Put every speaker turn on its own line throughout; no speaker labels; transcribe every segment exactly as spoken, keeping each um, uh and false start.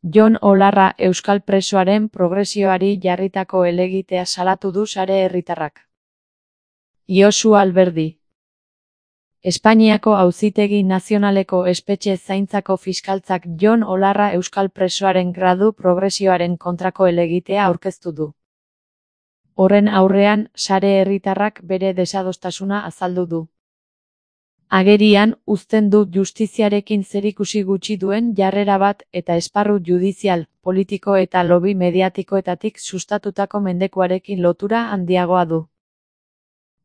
Jon Olarra euskal presoaren progresioari jarritako helegitea salatu du sare herritarrak. Josu Alberdi. Espainiako Auzitegi Nazionaleko espetxe zaintzako fiskaltzak Jon Olarra euskal presoaren gradu progresioaren kontrako helegitea aurkeztu du. Horren aurrean, sare herritarrak bere desadostasuna azaldu du. Agerian, uzten du justiziarekin zerikusi gutxi duen jarrera bat eta esparru judizial, politiko eta lobby mediatikoetatik sustatutako mendekuarekin lotura handiagoa du.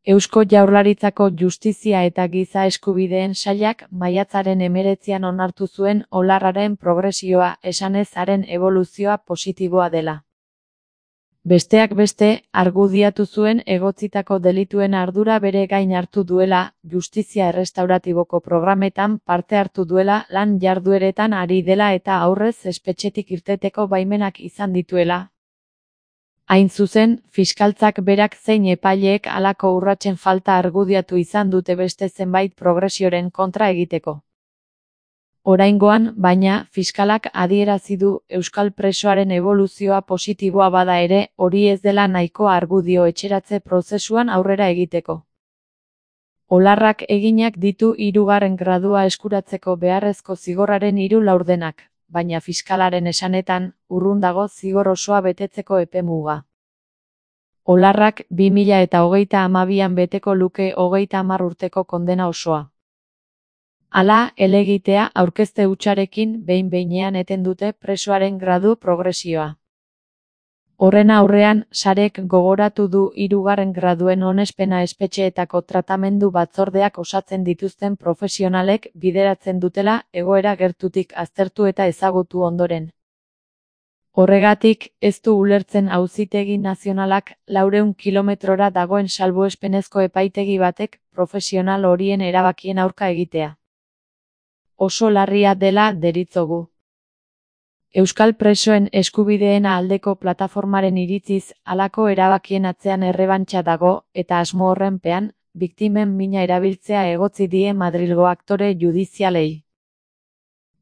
Eusko Jaurlaritzako Justizia eta Giza Eskubideen Sailak maiatzaren hemeretzian onartu zuen Olarraren progresioa esanez haren eboluzioa positiboa dela. Besteak beste, argudiatu zuen egotzitako delituen ardura bere gain hartu duela, justizia errestauratiboko programetan parte hartu duela, lan jardueretan ari dela eta aurrez espetxetik irteteko baimenak izan dituela. Hain zuzen, fiskaltzak berak zein epaileek halako urratsen falta argudiatu izan dute beste zenbait progresioren kontra egiteko. Oraingoan, baina, fiskalak adierazi du euskal presoaren eboluzioa positiboa bada ere, hori ez dela nahiko argudio etxeratze prozesuan aurrera egiteko. Olarrak eginak ditu hirugarren gradua eskuratzeko beharrezko zigorraren hiru laurdenak, baina fiskalaren esanetan, urrun dago zigor osoa betetzeko epemuga. Olarrak bi mila eta hogeita hamabian beteko luke hogeita hamar urteko kondena osoa. Hala, helegitea aurkezte hutsarekin behin-behinean eten dute presoaren gradu progresioa. Horren aurrean, sarek gogoratu du hirugarren graduen onespena espetxeetako tratamendu batzordeak osatzen dituzten profesionalek bideratzen dutela egoera gertutik aztertu eta ezagutu ondoren. Horregatik, ez du ulertzen Auzitegi Nazionalak laurehun kilometrora dagoen salbuespenezko epaitegi batek profesional horien erabakien aurka egitea. Oso larria dela deritzogu. Euskal presoen eskubideen aldeko plataformaren iritziz, halako erabakien atzean errebantxa dago, eta asmo horrenpean, biktimen mina erabiltzea egotzi die Madrilgo aktore judizialei.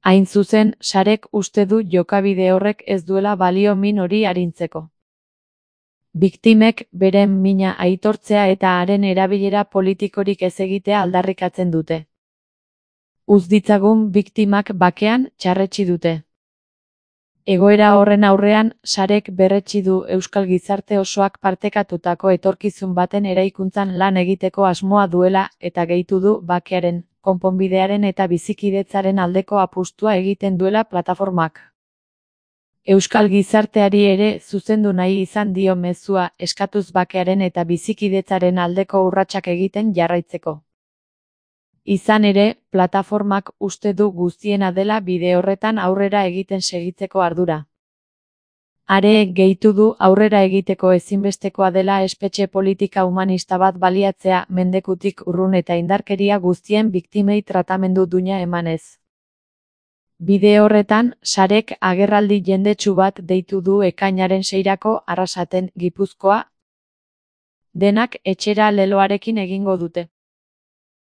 Hain zuzen, sarek uste du jokabide horrek ez duela balio min hori arintzeko. Biktimek beren mina aitortzea eta haren erabilera politikorik ez egitea aldarrikatzen dute. Uz ditzagun biktimak bakean txarretsi dute. Egoera horren aurrean, sarek berretsi du euskal gizarte osoak partekatutako etorkizun baten eraikuntzan lan egiteko asmoa duela eta gehitu du bakearen, konponbidearen eta bizikidetzaren aldeko apustua egiten duela plataformak. Euskal gizarteari ere zuzendu nahi izan dio mezua eskatuz bakearen eta bizikidetzaren aldeko urratsak egiten jarraitzeko. Izan ere, plataformak uste du guztiena dela bide horretan aurrera egiten segitzeko ardura. Are gehitu du aurrera egiteko ezinbestekoa dela espetxe politika humanista bat baliatzea mendekutik urrun eta indarkeria guztien biktimei tratamendu duina emanez. Bide horretan, sarek agerraldi jendetsu bat deitu du ekainaren seirako Arrasaten, Gipuzkoa. Denak etxera leloarekin egingo dute.